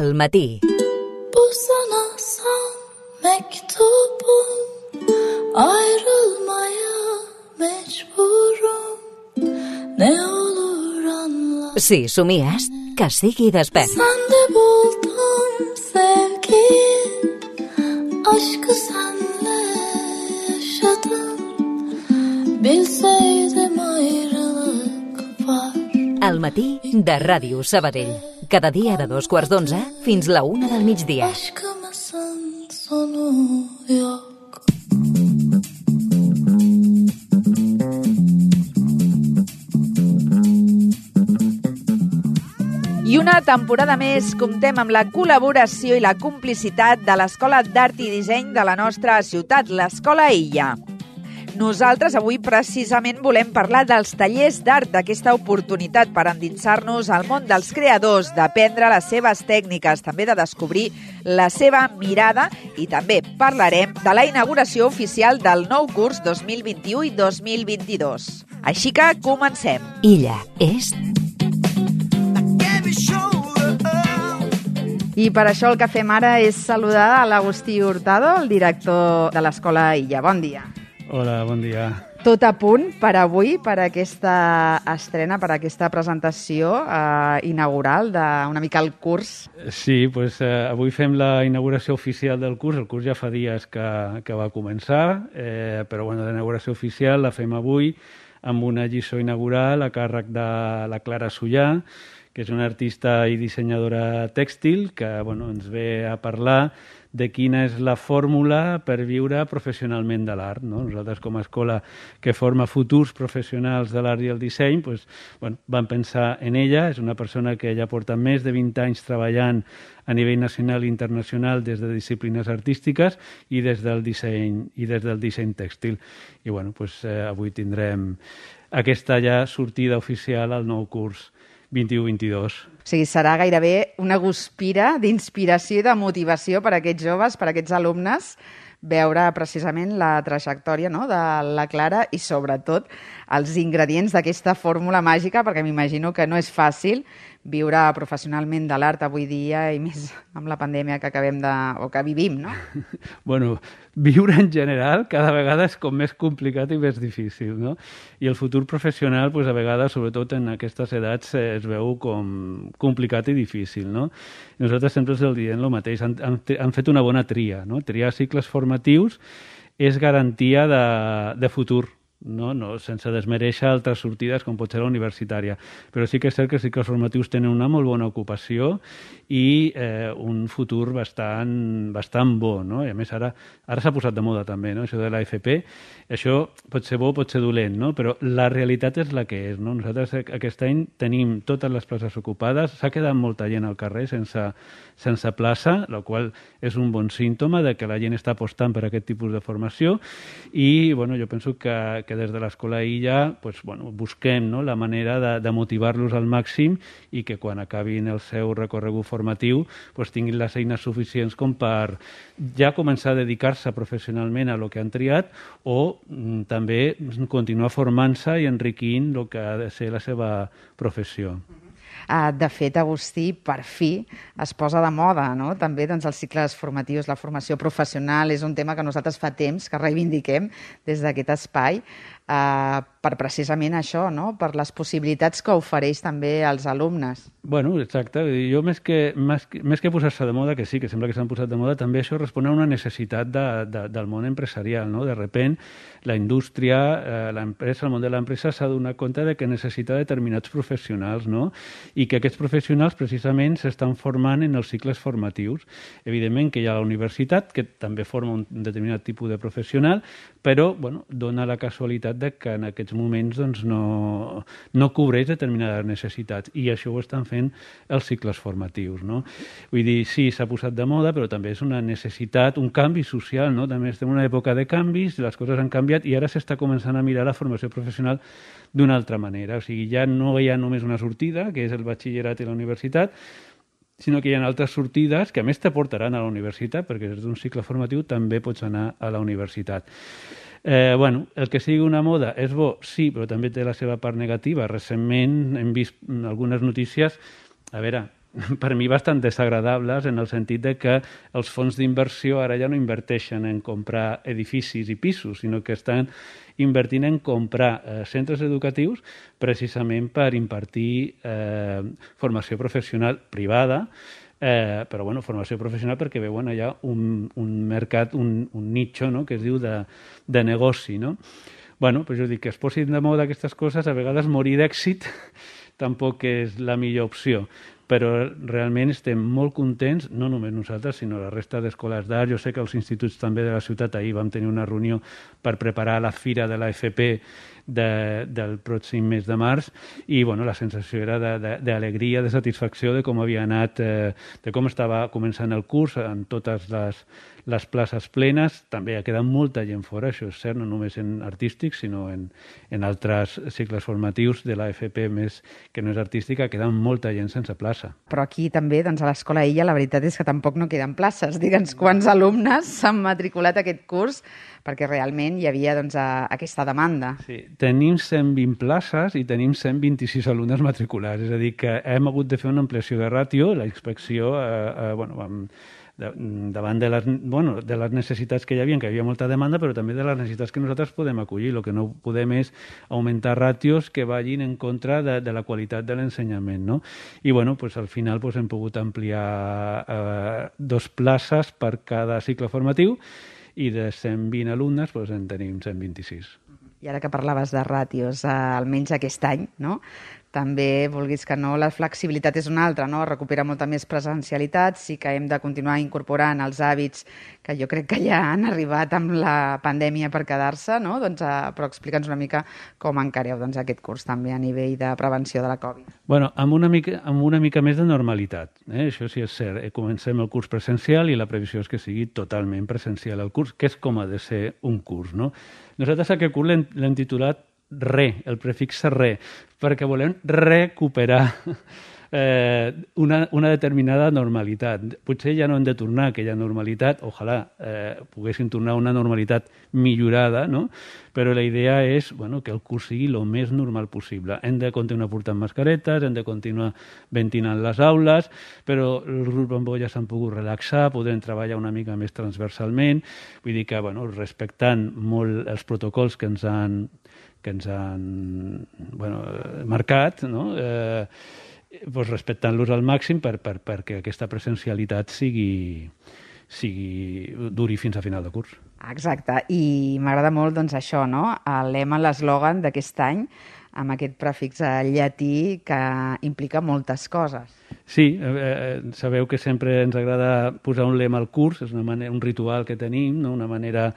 al matí. Bu sana son mektubum, ayrılmaya mecburum, ne olur anla. Si somies, que sigui despert. Sende buldum sevgiyi, aşkı senle yaşadım, bilseydim ayrılık var. Al matí de Ràdio Sabadell. Cada dia de 2:15 fins la 1 del migdia. Aşkımızın sonu yok. I una temporada més comptem amb la col·laboració i la complicitat de l'Escola d'Art i Disseny de la nostra ciutat, l'Escola Illa. Nosaltres avui precisament volem parlar dels tallers d'art, d'aquesta oportunitat per endinsar-nos al món dels creadors, d'aprendre les seves tècniques, també de descobrir la seva mirada, i també parlarem de la inauguració oficial del nou curs 2021 i 2022. Així que comencem. Illa és... I per això el que fem ara és saludar a l'Agustí Hurtado, el director de l'Escola Illa. Bon dia. Hola, bon dia. Tot a punt per avui, per aquesta estrena, per aquesta presentació inaugural d'una mica el curs? Sí, doncs avui fem la inauguració oficial del curs. El curs ja fa dies que va començar, però bueno, la inauguració oficial la fem avui amb una lliçó inaugural a càrrec de la Clara Sullà, que és una artista i dissenyadora tèxtil que ens ve a parlar de quina és la fórmula per viure professionalment de l'art. Nosaltres, com a escola que forma futurs professionals de l'art i el disseny, vam pensar en ella. És una persona que ja porta més de 20 anys treballant a nivell nacional i internacional des de disciplines artístiques i des del disseny tèxtil. I avui tindrem aquesta ja sortida oficial al nou curs 21-22. O sigui, serà gairebé una guspira d'inspiració i de motivació per a aquests joves, per a aquests alumnes, veure precisament la trajectòria de la Clara i, sobretot, els ingredients d'aquesta fórmula màgica, perquè m'imagino que no és fàcil viure professionalment de l'art avui dia, i més amb la pandèmia que que vivim, no? Viure en general cada vegada és com més complicat i més difícil, no? I el futur professional, a vegades, sobretot en aquestes edats, es veu com complicat i difícil, no? I nosaltres sempre els diem el mateix. Han fet una bona tria, no? Triar cicles formatius és garantia de futur, no, sense desmereixer altres sortides com pot ser la universitària, però sí que és cert que els cicles formatius tenen una molt bona ocupació i un futur bastant bo, no? I a més ara s'ha posat de moda també, no? Això de l'AFP, això pot ser bo, pot ser dolent, no? Però la realitat és la que és, no? Nosaltres aquest any tenim totes les places ocupades, s'ha quedat molta gent al carrer sense plaça, el qual és un bon símptoma de que la gent està apostant per aquest tipus de formació i jo penso que des de l'Escola Illa busquem la manera de motivar-los al màxim i que quan acabin el seu recorregut formatiu tinguin les eines suficients com per ja començar a dedicar-se professionalment a lo que han triat o també continuar formant-se i enriquint el que ha de ser la seva professió. De fet, Agustí, per fi es posa de moda, no? També els cicles formatius, la formació professional, és un tema que nosaltres fa temps que reivindiquem des d'aquest espai per precisament això, no? Per les possibilitats que ofereix també als alumnes. Exacte. Jo més que posar-se de moda, que sí, que sembla que s'han posat de moda, també això respon a una necessitat del món empresarial, no? De repent, la indústria, l'empresa, el món de l'empresa s'ha donat compte de que necessita determinats professionals, no? I que aquests professionals precisament s'estan formant en els cicles formatius. Evidentment que hi ha la universitat, que també forma un determinat tipus de professional, però dona la casualitat de que en aquests moments no cobreix determinades necessitats i això ho estan fent els cicles formatius, no? Vull dir, sí, s'ha posat de moda, però també és una necessitat, un canvi social, no? També estem en una època de canvis, les coses han canviat i ara s'està començant a mirar la formació professional d'una altra manera. O sigui, ja no hi ha només una sortida, que és el batxillerat i la universitat, sinó que hi ha altres sortides que a més te portaran a la universitat, perquè des d'un cicle formatiu també pots anar a la universitat. El que sigui una moda és bo, sí, però també té la seva part negativa. Recentment hem vist algunes notícies, a veure, per mi bastant desagradables, en el sentit de que els fons d'inversió ara ja no inverteixen en comprar edificis i pisos, sinó que estan invertint en comprar centres educatius precisament per impartir formació professional privada, però bueno, formació professional perquè veuen allà un mercat, un nicho, no?, que es diu de negoci, no? Bueno, pues jo dic que es posin de moda aquestes coses, a vegades morir d'èxit tampoc és la millor opció, però realment estem molt contents, no només nosaltres, sinó la resta d'escoles d'art. Jo sé que els instituts també de la ciutat, ahir vam tenir una reunió per preparar la fira de l'AFP del pròxim mes de març, i bueno, la sensació era d'alegria, de satisfacció de com havia anat, de com estava començant el curs, amb totes les places plenes. També ha quedat molta gent fora, això és cert, no només en artístics, sinó en altres cicles formatius de l'AFP més que no és artística, ha quedat molta gent sense plaça. Però aquí també, doncs, a l'Escola Illa, la veritat és que tampoc no queden places. Digue'ns quants alumnes s'han matriculat aquest curs, perquè realment hi havia, doncs, aquesta demanda. Sí, tenim 120 places i tenim 126 alumnes matriculats, és a dir, que hem hagut de fer una ampliació de ràtio. La inspecció, davant de les necessitats que hi havia molta demanda, però també de les necessitats que nosaltres podem acollir. El que no podem és augmentar ràtios que vagin en contra de la qualitat de l'ensenyament, no? I bueno, pues, al final pues, hem pogut ampliar 2 places per cada cicle formatiu, i de 120 alumnes doncs, en tenim 126. I ara que parlaves de ràtios, almenys aquest any, no? També, vulguis que no, la flexibilitat és una altra, no? Recupera molta més presencialitat, sí que hem de continuar incorporant els hàbits que jo crec que ja han arribat amb la pandèmia per quedar-se, no? Doncs, però explica'ns una mica com encareu aquest curs també a nivell de prevenció de la Covid. Bueno, amb una mica més de normalitat, això sí és cert. Comencem el curs presencial i la previsió és que sigui totalment presencial el curs, que és com ha de ser un curs, no? Nosaltres aquest curs l'hem titulat el prefix re, perquè volem recuperar una determinada normalitat. Potser ja no hem de tornar a aquella normalitat, ojalà poguéssim tornar a una normalitat millorada, no? Però la idea és que el curs sigui el més normal possible. Hem de continuar portant mascaretes, hem de continuar ventilant les aules, però els grups bambó ja s'han pogut relaxar, podrem treballar una mica més transversalment, vull dir que respectant molt els protocols que ens han marcat, no? Respectant-los al màxim perquè aquesta presencialitat duri fins a final de curs. Exacte, i m'agrada molt això, no? El lema, l'eslògan d'aquest any, amb aquest prefix llatí que implica moltes coses. Sí, sabeu que sempre ens agrada posar un lema al curs, és un ritual que tenim, no? Una manera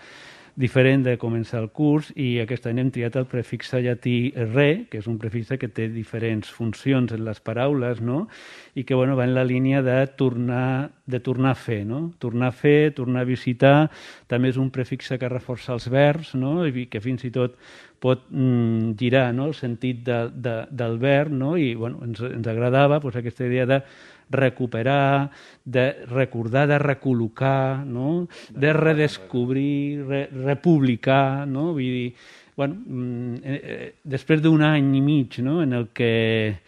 diferent de començar el curs, i aquest any hem triat el prefix llatí re, que és un prefix que té diferents funcions en les paraules, no? I que va en la línia de tornar a fer, no? Tornar a fer, tornar a visitar. També és un prefix que reforça els verbs, no? I que fins i tot pot girar, no? El sentit del verb, no? I ens agradava aquesta idea de recuperar, de recordar, de recol·locar, no? De redescobrir, republicar, no? Vull dir, després d'un any i mig, no? En el que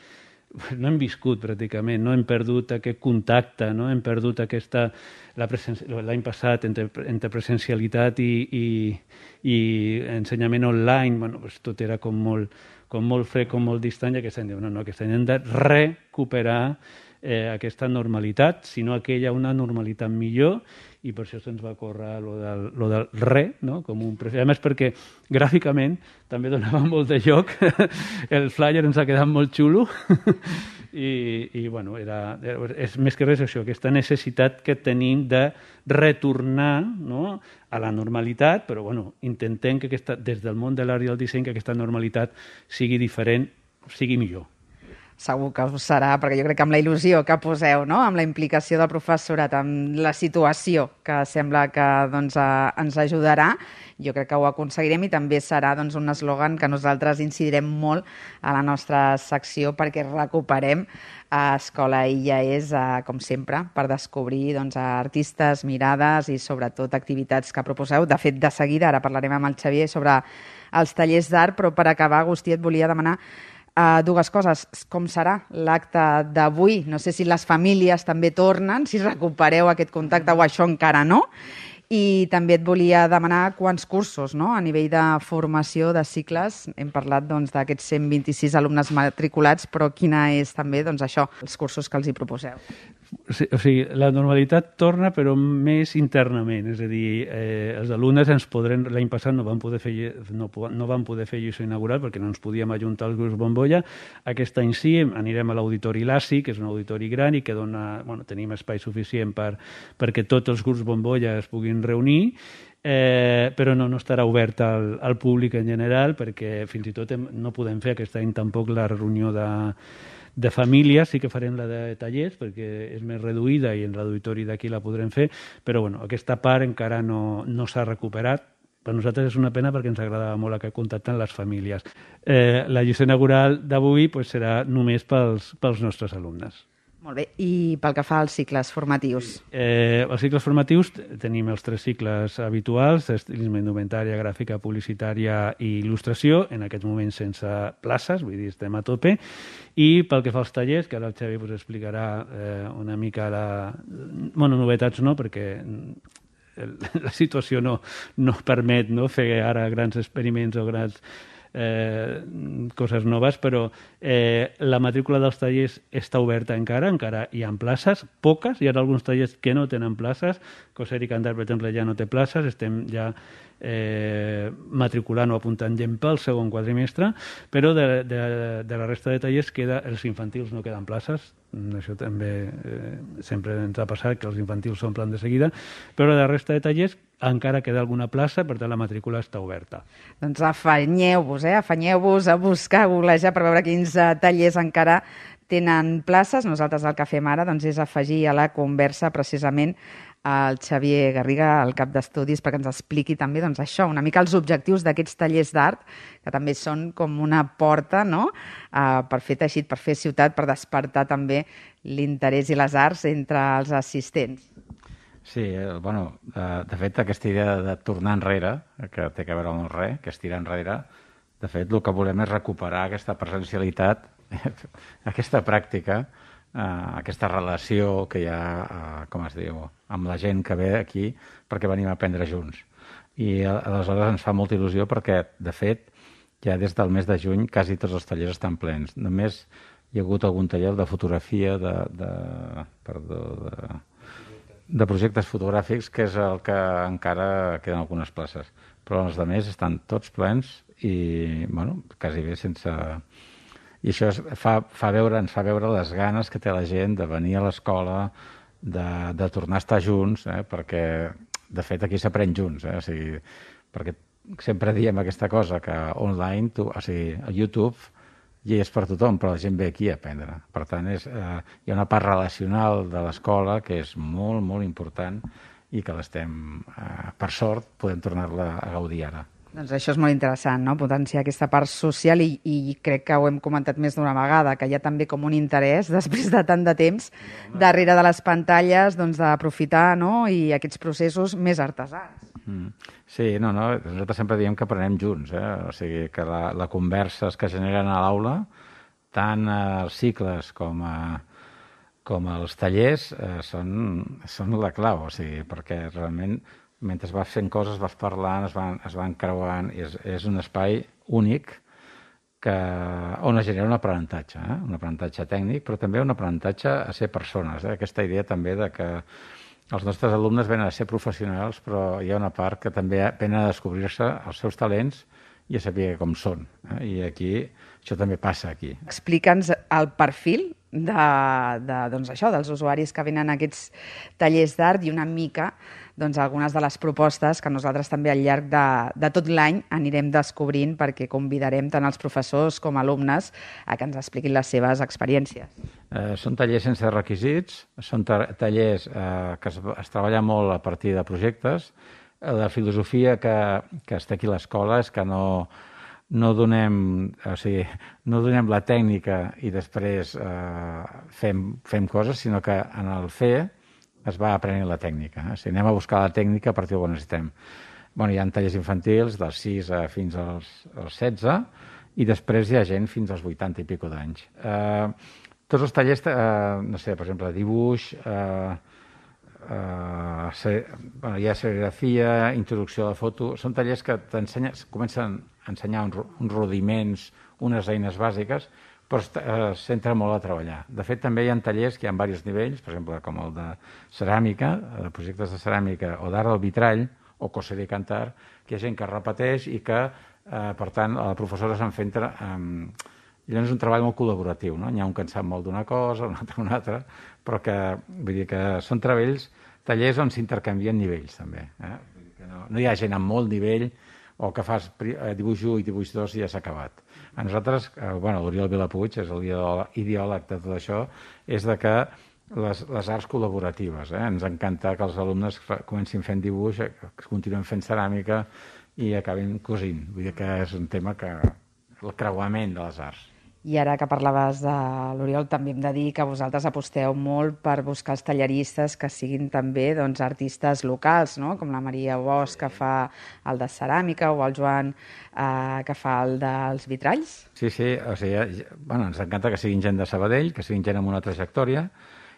no hem viscut pràcticament, no hem perdut aquest contacte, no? Hem perdut l'any passat entre presencialitat i ensenyament online, tot era com molt fred, com molt distant, i aquest any hem de recuperar aquesta normalitat, sinó aquella una normalitat millor, i per això se'ns va córrer lo del re, no? Com un prefix. A més, perquè gràficament també donava molt de joc, el flyer ens ha quedat molt xulo, i és més que res això, aquesta necessitat que tenim de retornar, no? A la normalitat, però intentem que des del món de l'art i el disseny que aquesta normalitat sigui diferent, sigui millor. Segur que ho serà, perquè jo crec que amb la il·lusió que poseu, no? Amb la implicació del professorat, amb la situació que sembla que ens ajudarà, jo crec que ho aconseguirem, i també serà un eslògan que nosaltres incidirem molt a la nostra secció perquè recuperem Escola Illa és, com sempre, per descobrir artistes, mirades i sobretot activitats que proposeu. De fet, de seguida, ara parlarem amb el Xavier sobre els tallers d'art, però per acabar, Agustí, et volia demanar Dues coses, com serà l'acte d'avui? No sé si les famílies també tornen, si recupereu aquest contacte o això encara no. I també et volia demanar quants cursos, no?, a nivell de formació de cicles. Hem parlat d'aquests 126 alumnes matriculats, però quina és també això, els cursos que els hi proposeu? O sigui, la normalitat torna, però més internament. És a dir, els alumnes l'any passat no van poder fer lliçó inaugural perquè no ens podíem ajuntar als grups bombolla. Aquest any sí, anirem a l'auditori LASI, que és un auditori gran i que tenim espai suficient perquè tots els grups bombolla es puguin reunir, però no estarà obert al públic en general perquè fins i tot no podem fer aquest any tampoc la reunió de famílies. Sí que farem la de tallers perquè és més reduïda i en l'auditori d'aquí la podrem fer, però aquesta part encara no s'ha recuperat. Per nosaltres és una pena perquè ens agradava molt que contacten les famílies. La lliçó inaugural d'avui serà només pels nostres alumnes. Molt bé. I pel que fa als cicles formatius? Els cicles formatius tenim els 3 cicles habituals: estilisme, indumentària, gràfica, publicitària i il·lustració, en aquest moment sense places, vull dir, estem a tope. I pel que fa als tallers, que ara el Xavi explicarà una mica novetats no, perquè la situació no permet fer ara grans experiments o grans coses noves, però la matrícula dels tallers està oberta encara hi ha places, poques, hi ha alguns tallers que no tenen places. Coser i cantar, per exemple, ja no té places, estem ja matriculant o apuntant gent pel segon quadrimestre, però de la resta de tallers els infantils no queden places. Això també sempre ens ha passat, que els infantils s'omplen de seguida, però de la resta de tallers encara queda alguna plaça, per tant la matrícula està oberta. Doncs afanyeu-vos a buscar, a googlejar per veure quins tallers encara tenen places. Nosaltres el que fem ara és afegir a la conversa precisament el Xavier Garriga, el cap d'estudis, perquè ens expliqui també això, una mica els objectius d'aquests tallers d'art, que també són com una porta, no?, per fer teixit, per fer ciutat, per despertar també l'interès i les arts entre els assistents. Sí, de fet, aquesta idea de tornar enrere, que té a veure amb el res, que és tirar enrere, de fet, el que volem és recuperar aquesta presencialitat, aquesta pràctica, aquesta relació que hi ha, com es diu, amb la gent que ve aquí perquè venim a aprendre junts. I aleshores ens fa molta il·lusió perquè, de fet, ja des del mes de juny quasi tots els tallers estan plens. Només hi ha hagut algun taller de fotografia, de projectes fotogràfics, que és el que encara queden algunes places. Però els altres estan tots plens i, quasi bé sense... I això ens fa veure les ganes que té la gent de venir a l'escola, de tornar a estar junts, perquè, de fet, aquí s'aprèn junts. O sigui, perquè sempre diem aquesta cosa, que online, a YouTube, hi és per tothom, però la gent ve aquí a aprendre. Per tant, hi ha una part relacional de l'escola que és molt, molt important i que per sort, podem tornar-la a gaudir ara. Doncs això és molt interessant, no?, potenciar aquesta part social i crec que ho hem comentat més d'una vegada, que hi ha també com un interès, després de tant de temps, darrere de les pantalles, d'aprofitar, no?, i aquests processos més artesans. Sí, nosaltres sempre diem que aprenem junts, o sigui, que la conversa que generen a l'aula, tant els cicles com els tallers, són la clau, o sigui, perquè realment mentre vas fent coses, vas parlant, es van creuant, i és un espai únic on es genera un aprenentatge tècnic, però també un aprenentatge a ser persones. Aquesta idea també de que els nostres alumnes venen a ser professionals, però hi ha una part que també venen a descobrir-se els seus talents i a saber com són. I aquí, això també passa aquí. Explica'ns el perfil dels usuaris que venen a aquests tallers d'art i una mica algunes de les propostes que nosaltres també al llarg de tot l'any anirem descobrint, perquè convidarem tant els professors com alumnes a que ens expliquin les seves experiències. Són tallers sense requisits, són tallers que es treballa molt a partir de projectes. La filosofia que està aquí a l'escola és que no donem la tècnica i després fem coses, sinó que en el fer es va aprenent la tècnica. O sigui, anem a buscar la tècnica a partir d'on necessitem. Hi ha tallers infantils dels 6 fins als 16 i després hi ha gent fins als 80 i pico d'anys. Tots els tallers, no sé, per exemple, dibuix, hi ha serigrafia, introducció a la foto, són tallers que comencen a ensenyar uns rudiments, unes eines bàsiques, però es centra molt a treballar. De fet, també hi ha tallers que hi ha diversos nivells, per exemple, com el de ceràmica, de projectes de ceràmica, o d'art del vitrall, o coser i cantar, que hi ha gent que repeteix i que, per tant, la professora se'n centra... Llavors és un treball molt col·laboratiu, no? N'hi ha un que en sap molt d'una cosa, un altre una altra, però que, vull dir que són tallers on s'intercanvien nivells, també. Vull dir que no hi ha gent amb molt nivell o que fas dibuix 1 i dibuix 2 i ja s'ha acabat. A nosaltres, l'Oriol Vilapuig és l'ideòleg de tot això, és de que les arts col·laboratives, ens encanta que els alumnes comencin fent dibuix, que continuen fent ceràmica i acabin cosint. Vull dir que és un tema que... el creuament de les arts. I ara que parlaves de l'Oriol, també hem de dir que vosaltres aposteu molt per buscar els talleristes que siguin també artistes locals, no? Com la Maria Bosch, que fa el de ceràmica, o el Joan, que fa el dels vitralls. Sí, o sigui, ens encanta que siguin gent de Sabadell, que siguin gent amb una trajectòria,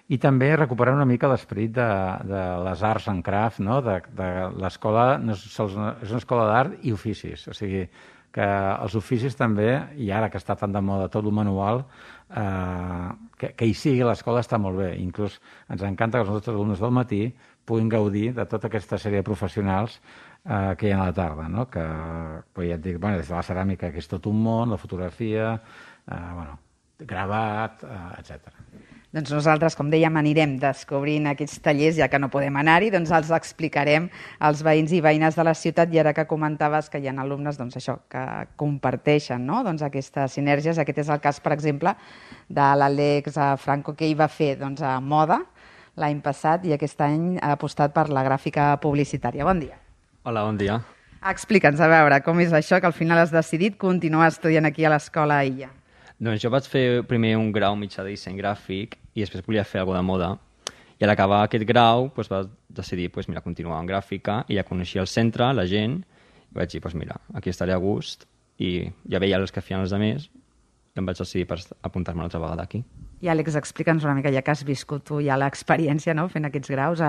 i també recuperar una mica l'esperit de les arts en craft, no? De l'escola, és una escola d'art i oficis, o sigui, que els oficis també, i ara que està tan de moda tot el manual, que hi sigui l'escola està molt bé. Inclús ens encanta que els nostres alumnes del matí puguin gaudir de tota aquesta sèrie de professionals que hi ha a la tarda, no? Que, ja et dic, des de la ceràmica, que és tot un món, la fotografia, gravat, etc. Doncs nosaltres, com dèiem, anirem descobrint aquests tallers, ja que no podem anar-hi, doncs els explicarem als veïns i veïnes de la ciutat, i ara que comentaves que hi ha alumnes que comparteixen aquestes sinergies. Aquest és el cas, per exemple, de l'Àlex Franco, que hi va fer a moda l'any passat i aquest any ha apostat per la gràfica publicitària. Bon dia. Hola, bon dia. Explica'ns, a veure, com és això que al final has decidit continuar estudiant aquí a l'Escola Illa? Doncs jo vaig fer primer un grau mitjà de disseny gràfic i després volia fer alguna de moda. I a l'acabar aquest grau vaig decidir continuar en gràfica, i ja coneixia el centre, la gent, i vaig dir, aquí estaré a gust, i ja veia els que feien els altres i em vaig decidir per apuntar-me una altra vegada aquí. I Àlex, explica'ns una mica, ja que has viscut tu ja l'experiència fent aquests graus,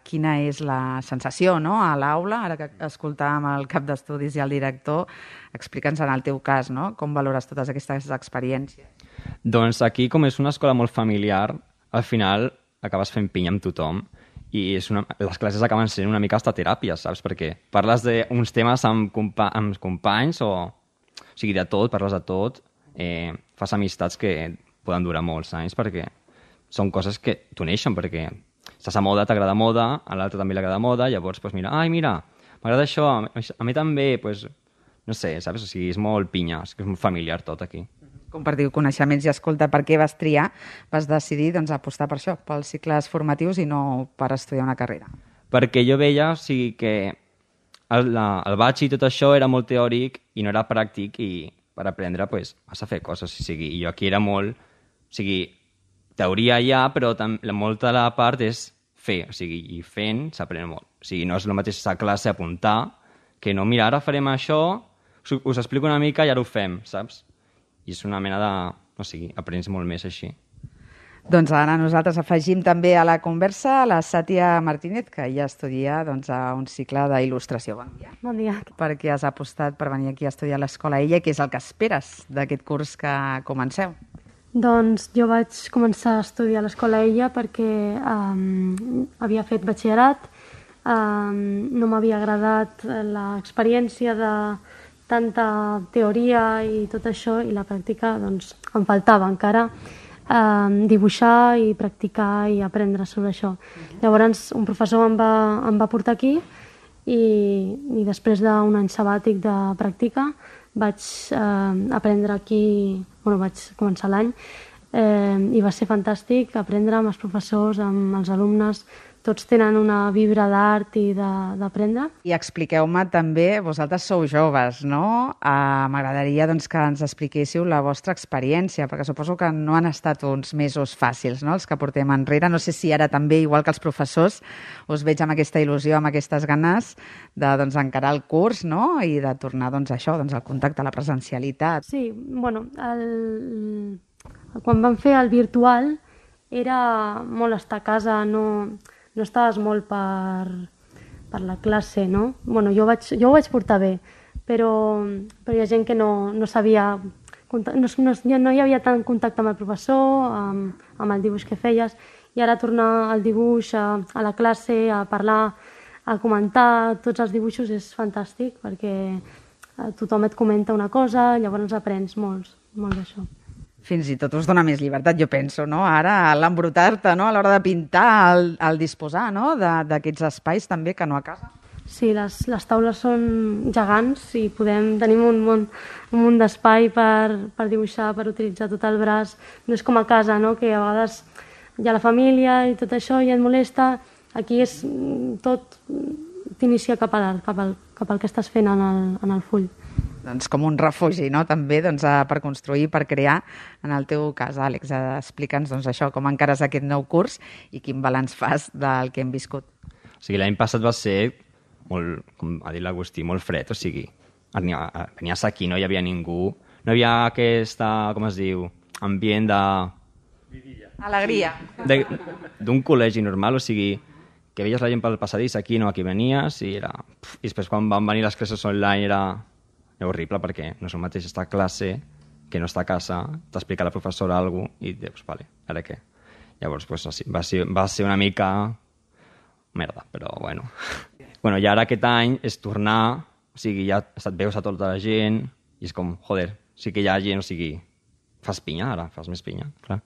quina és la sensació a l'aula, ara que escoltàvem el cap d'estudis i el director, explica'ns en el teu cas, com valores totes aquestes experiències. Doncs aquí, com és una escola molt familiar, al final acabes fent pinya amb tothom, i les classes acaben sent una mica hasta teràpia, saps? Perquè parles d'uns temes amb companys, o sigui, de tot, parles de tot, fas amistats que poden durar molts anys, perquè són coses que t'uneixen, perquè estàs a moda, t'agrada moda, a l'altre també li agrada moda, llavors, m'agrada això, a mi també, no sé, saps? O sigui, és molt pinya, és molt familiar tot aquí. Compartiu coneixements. I escolta, per què vas decidir apostar per això, pels cicles formatius i no per estudiar una carrera? Perquè jo veia que el batx i tot això era molt teòric i no era pràctic, i per aprendre has de fer coses. O sigui, jo aquí era molt... O sigui, teoria ja, però molta de la part és fer. O sigui, i fent s'aprèn molt. O sigui, no és el mateix a classe apuntar, que no, mira, ara farem això, us explico una mica i ara ho fem, saps? I és una mena de... O sigui, aprens molt més així. Doncs ara nosaltres afegim també a la conversa la Sàtia Martínez, que ja estudia a un cicle d'il·lustració. Bon dia. Bon dia. Per què has apostat per venir aquí a estudiar a l'Escola Illa i què és el que esperes d'aquest curs que comenceu? Doncs jo vaig començar a estudiar a l'Escola Illa perquè havia fet batxillerat, no m'havia agradat l'experiència de tanta teoria i tot això, i la pràctica doncs, em faltava encara dibuixar i practicar i aprendre sobre això. Llavors un professor em va portar aquí i després d'un any sabàtic de pràctica vaig aprendre aquí, vaig començar l'any i va ser fantàstic aprendre amb els professors, amb els alumnes. Tots tenen una vibra d'art i d'aprendre. I expliqueu-me també, vosaltres sou joves, no? M'agradaria doncs, que ens expliquéssiu la vostra experiència, perquè suposo que no han estat uns mesos fàcils, no?, els que portem enrere. No sé si ara també, igual que els professors, us veig amb aquesta il·lusió, amb aquestes ganes de doncs, encarar el curs, no?, i de tornar doncs, això, doncs, al contacte, a la presencialitat. Sí, bueno, quan vam fer el virtual era molt estar a casa, no estaves molt per la classe, no? Bueno, jo ho vaig portar bé, però hi ha gent que no sabia, no hi havia tant contacte amb el professor, amb el dibuix que feies, i ara tornar al dibuix, a la classe, a parlar, a comentar tots els dibuixos és fantàstic, perquè tothom et comenta una cosa, llavors aprens molt d'això. Fins i tot us dona més llibertat, jo penso, no? Ara, l'embrutar-te, no?, a l'hora de pintar, el disposar, no?, d'aquests espais també, que no a casa. Sí, les taules són gegants i tenim un munt d'espai per dibuixar, per utilitzar tot el braç. No és com a casa, no?, que a vegades hi ha la família i tot això i et molesta. Aquí és tot t'inicia cap a l'art, cap al que estàs fent en el full. Doncs com un refugi, no?, també doncs, per construir, per crear. En el teu cas, Àlex, explica'ns doncs, això, com encares aquest nou curs i quin balanç fas del que hem viscut. O sigui, l'any passat va ser molt, com ha dit l'Agustí, molt fred, o sigui, venies aquí, no hi havia ningú, no hi havia aquesta, com es diu, ambient de... Alegria. D'un col·legi normal, o sigui, que veies la gent pel passadís, aquí no, aquí venies, i era... I després quan van venir les classes online era horrible, perquè no és el mateix estar a classe que no estar a casa, t'explica la professora alguna cosa i dius, vale, ara què? Llavors, pues, va ser una mica merda, però bueno. Bueno, i ara aquest any és tornar, o sigui, ja veus a tota la gent i és com, joder, sí que hi ha gent, o sigui, fas pinya ara, fas més pinya, clar.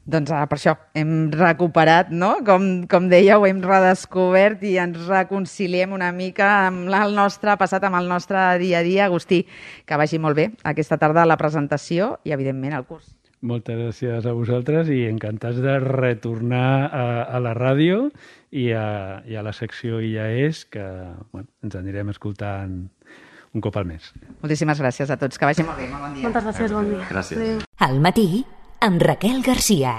Doncs per això hem recuperat, no?, com dèieu, hem redescobert i ens reconciliem una mica amb el nostre passat, amb el nostre dia a dia. Agustí, que vagi molt bé aquesta tarda la presentació i, evidentment, el curs. Moltes gràcies a vosaltres i encantats de retornar a la ràdio i a la secció IAES, que bueno, ens anirem escoltant un cop al mes. Moltíssimes gràcies a tots. Que vagi molt bé. Molt bon dia. Moltes gràcies, bon dia. Gràcies. Al matí, amb Raquel Garcia.